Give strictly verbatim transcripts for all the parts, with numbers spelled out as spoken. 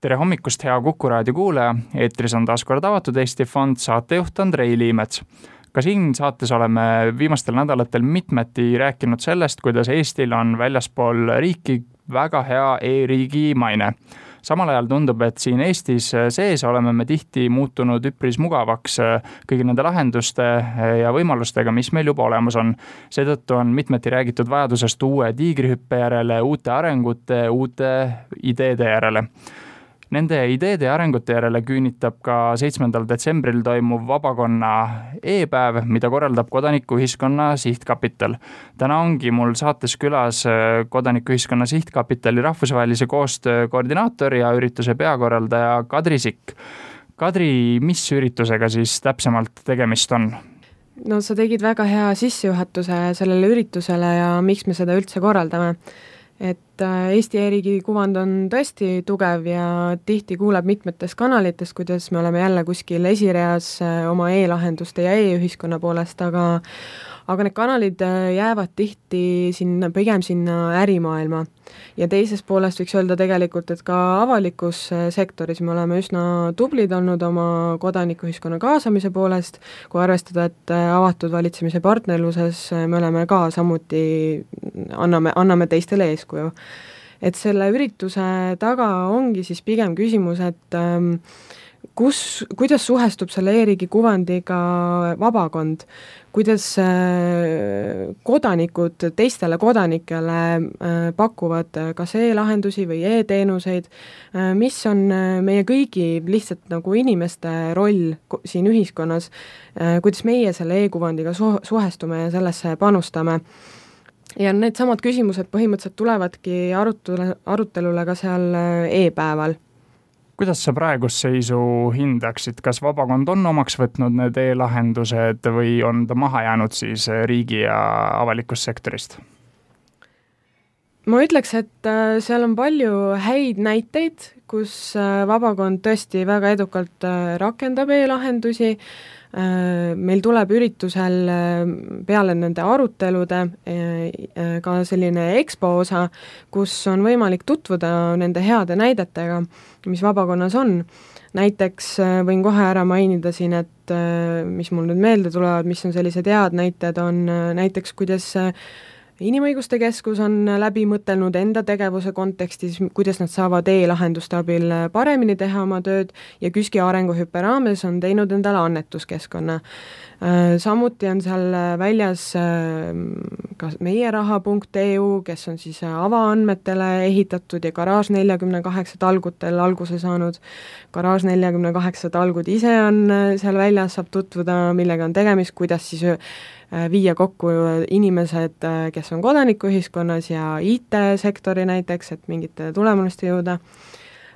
Tere hommikust, hea Kuku raadio kuulaja, eetris on taas kord avatud Eesti Fond, saatejuht Andrei Liimets. Ka siin saates oleme viimastel nädalatel mitmeti rääkinud sellest, kuidas Eestil on väljaspool riiki väga hea e-riigi maine. Samal ajal tundub, et siin Eestis sees oleme me tihti muutunud üpris mugavaks kõigi nende lahenduste ja võimalustega, mis meil juba olemas on. Seetõttu on mitmeti räägitud vajadusest uue tiigrihüppe järele, uute arengute, uute ideede järele. Nende ideede ja arengute järele küünitab ka seitsmendal detsembril toimuv vabakonna e-päev, mida korraldab Kodanikuühiskonna Sihtkapital. Täna ongi mul saates külas Kodanikuühiskonna Sihtkapitali rahvusvahelise koostöö koordinaator ja ürituse peakorraldaja Kadri Sikk. Kadri, mis üritusega siis täpsemalt tegemist on? No sa tegid väga hea sissejuhatuse sellele üritusele ja miks me seda üldse korraldame. Et Eesti e-riigi kuvand on tõesti tugev ja tihti kuuleb mitmetes kanalites, kuidas me oleme jälle kuskil esireas oma e-lahenduste ja e-ühiskonna poolest, aga, aga need kanalid jäävad tihti sinna, pigem sinna ärimaailma. Ja teisest poolest võiks öelda tegelikult, et ka avalikus sektoris me oleme üsna tublid olnud oma kodanikuühiskonna kaasamise poolest, kui arvestada, et avatud valitsemise partnerluses me oleme ka samuti, anname, anname teistele eeskuju. Et selle ürituse taga ongi siis pigem küsimus, et kus, kuidas suhestub selle e-riigi kuvandiga vabakond, kuidas kodanikud teistele kodanikele pakuvad kas e-lahendusi või e-teenuseid, mis on meie kõigi lihtsalt nagu inimeste roll siin ühiskonnas, kuidas meie selle e-kuvandiga suhestume ja sellesse panustame. Ja need samad küsimused põhimõtteliselt tulevadki arutule, arutelule ka seal e-päeval. Kuidas sa praegust seisu hindaksid? Kas vabakond on omaks võtnud need e-lahendused või on ta maha jäänud siis riigi ja avalikust sektorist? Ma ütleks, et seal on palju häid näiteid, kus vabakond tõesti väga edukalt rakendab e-lahendusi. Meil tuleb üritusel peale nende arutelude ka selline expo osa, kus on võimalik tutvuda nende heade näidetega, mis vabakonnas on. Näiteks võin kohe ära mainida siin, et mis mul nüüd meelde tulevad, mis on sellised head näited, on näiteks, kuidas Inimõiguste Keskus on läbi mõtelnud enda tegevuse kontekstis, kuidas nad saavad e-lahenduste abil paremini teha oma tööd ja KÜSK-i arenguhüppe raames on teinud endale annetuskeskkonna. Samuti on seal väljas ka meieraha punkt e u, kes on siis avaandmetele ehitatud ja Garaaž nelikümmend kaheksa talgutel alguse saanud. Garaaž nelikümmend kaheksa talgud ise on seal väljas, saab tutvuda, millega on tegemist, kuidas siis viia kokku inimesed, kes on kodanikuühiskonnas ja I T-sektori näiteks, et mingite tulemuste jõuda.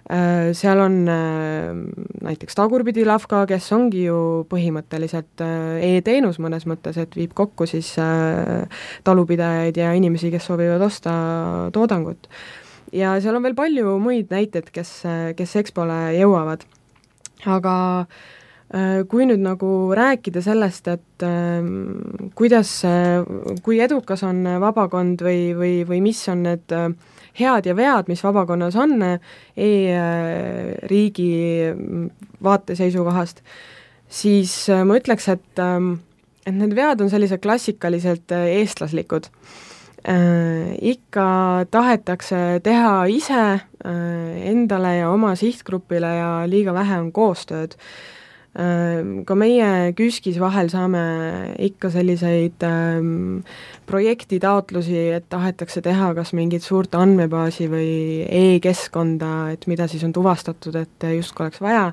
Seal on näiteks Tagurpidi Lavka, kes ongi ju põhimõtteliselt e-teenus mõnes mõttes, et viib kokku siis talupidajaid ja inimesi, kes soovivad osta toodangut. Ja seal on veel palju muid näiteid, kes, kes Expole jõuavad. Aga kui nüüd nagu rääkida sellest, et kuidas, kui edukas on vabakond või, või, või mis on need head ja vead, mis vabakonnas on e-riigi vaate seisukohast, siis ma ütleks, et, et need vead on sellised klassikaliselt eestlaslikud. Ikka tahetakse teha ise endale ja oma sihtgrupile ja liiga vähe on koostööd. Ka meie KÜSK-is vahel saame ikka selliseid ähm, projektitaotlusi, et tahetakse teha kas mingit suurt andmebaasi või e-keskkonda, et mida siis on tuvastatud, et just oleks vaja.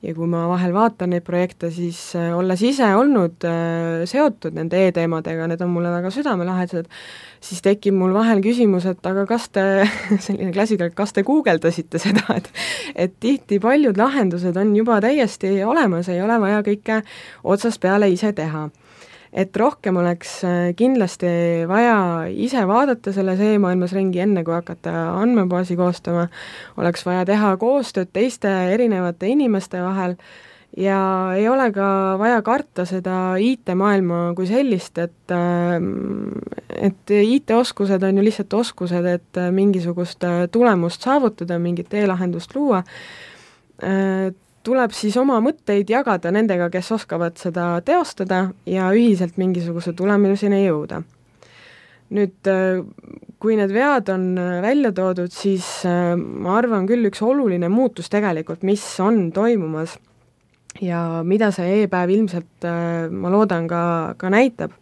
Ja kui ma vahel vaatan neid projekte, siis äh, olles ise olnud äh, seotud nende e-teemadega, need on mulle väga südamelahedased, siis tekib mul vahel küsimus, et aga kas te, selline klassikal, kas te guugeldasite seda, et, et tihti paljud lahendused on juba täiesti olemas, ei ole vaja kõike otsast peale ise teha. Et rohkem oleks kindlasti vaja ise vaadata selles e-maailmas ringi, enne kui hakata andmebaasi koostama, oleks vaja teha koostööd teiste erinevate inimeste vahel ja ei ole ka vaja karta seda I T-maailma kui sellist, et et I T-oskused on ju lihtsalt oskused, et mingisugust tulemust saavutada, mingit e-lahendust luua, tuleb siis oma mõtteid jagada nendega, kes oskavad seda teostada ja ühiselt mingisuguse tulemuseni jõuda. Nüüd, kui need vead on välja toodud, siis ma arvan küll üks oluline muutus tegelikult, mis on toimumas ja mida see e-päev ilmselt, ma loodan, ka, ka näitab,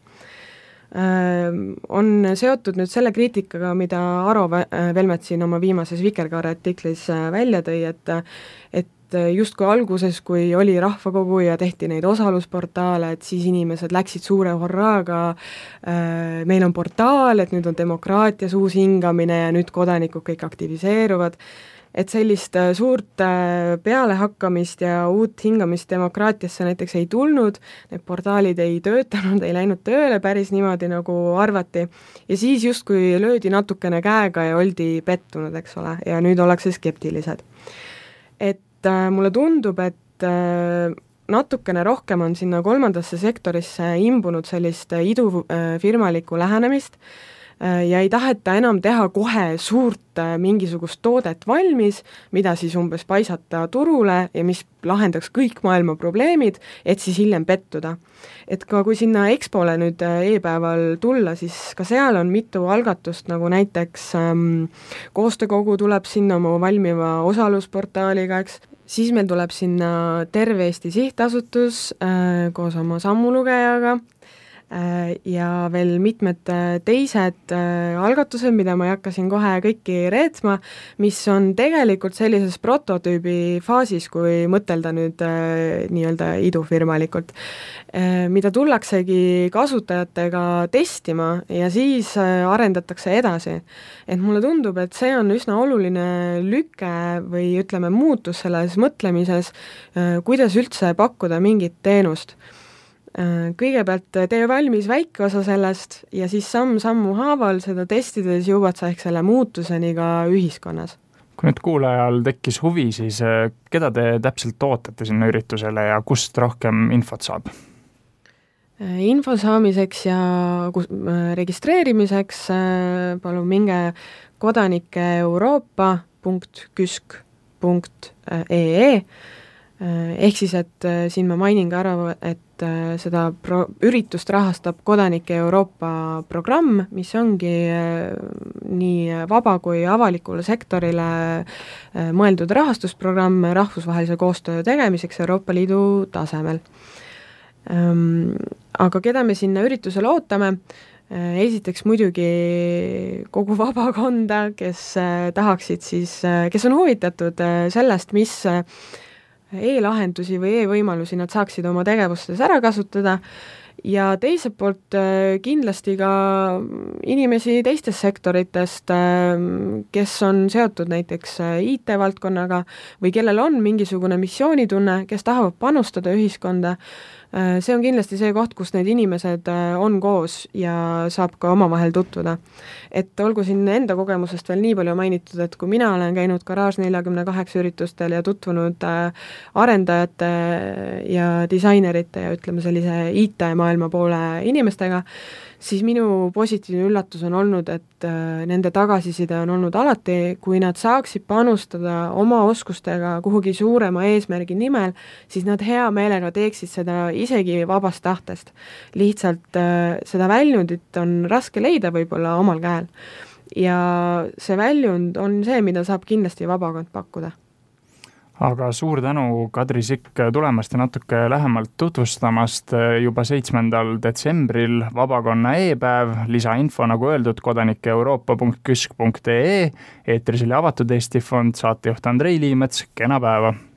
on seotud nüüd selle kriitikaga, mida Aro Velmet siin oma viimases Vikerkaare artiklis välja tõi, et, et justkui alguses, kui oli rahvakogu ja tehti neid osalusportaale, et siis inimesed läksid suure horraaga, meil on portaal, et nüüd on demokraatias uus hingamine ja nüüd kodanikud kõik aktiviseeruvad, et sellist suurt pealehakkamist ja uut hingamist demokraatiasse näiteks ei tulnud, need portaalid ei töötanud, ei läinud tööle päris niimoodi, nagu arvati, ja siis justkui löödi natukene käega ja oldi pettunud, eks ole, ja nüüd ollakse skeptilised. Et mulle tundub, et natukene rohkem on sinna kolmandasse sektorisse imbunud sellist idufirmalikku lähenemist ja ei taheta enam teha kohe suurt mingisugust toodet valmis, mida siis umbes paisata turule ja mis lahendaks kõik maailma probleemid, et siis hiljem pettuda. Et ka kui sinna Expole nüüd e-päeval tulla, siis ka seal on mitu algatust, nagu näiteks ähm, koostöökogu tuleb sinna oma valmiva osalusportaaliga, eks, siis meil tuleb sinna Terve Eesti Sihtasutus äh, koos oma sammulugejaga äh, ja veel mitmed teised äh, algatused, mida ma ei hakka siin kohe kõiki reetma, mis on tegelikult sellises prototüübi faasis, kui mõtelda nüüd äh, nii-öelda idufirmalikult, äh, mida tullaksegi kasutajatega testima ja siis äh, arendatakse edasi. Et mulle tundub, et see on üsna oluline lüke või ütleme muutus selles mõtlemises, kuidas üldse pakkuda mingit teenust. Kõigepealt tee valmis väike osa sellest ja siis samm-sammu haaval seda testides jõuad sa ehk selle muutuseni ka ühiskonnas. Kui nüüd kuulajal tekkis huvi, siis keda te täpselt ootate sinna üritusele ja kust rohkem infot saab? Info saamiseks ja registreerimiseks palun minge kodanike euroopa punkt küsk punkt ee ehk siis, et siin ma mainin ka ära, et seda pro- üritust rahastab Kodanike Euroopa programm, mis ongi nii vaba kui avalikule sektorile mõeldud rahastusprogramm rahvusvahelise koostöö tegemiseks Euroopa Liidu tasemel. Aga keda me sinna üritusele ootame? Esiteks muidugi kogu vabakonda, kes tahaksid siis, kes on huvitatud sellest, mis e-lahendusi või e-võimalusi nad saaksid oma tegevustes ära kasutada ja teiselt poolt kindlasti ka inimesi teistest sektoritest, kes on seotud näiteks I T-valdkonnaga või kellel on mingisugune missioonitunne, kes tahavad panustada ühiskonda. See on kindlasti see koht, kus need inimesed on koos ja saab ka omavahel tutvuda. Et olgu siin enda kogemusest veel nii palju mainitud, et kui mina olen käinud Garage nelikümmend kaheksa üritustel ja tutvunud arendajate ja disainerite ja ütleme sellise I T-maailma poole inimestega, siis minu positiivne üllatus on olnud, et nende tagasiside on olnud alati, kui nad saaksid panustada oma oskustega kuhugi suurema eesmärgi nimel, siis nad hea meelega teeksid seda isegi vabast tahtest. Lihtsalt seda väljundit on raske leida võib-olla omal käel. Ja see väljund on see, mida saab kindlasti vabakond pakkuda. Aga suur tänu, Kadri Sikk, tulemast ja natuke lähemalt tutvustamast juba seitsmendal detsembril vabakonna e-päev, lisainfo nagu öeldud kodanike euroopa punkt küsk punkt ee, eetris oli Avatud Eesti Fond, saatejuht Andrei Liimets, kena päeva!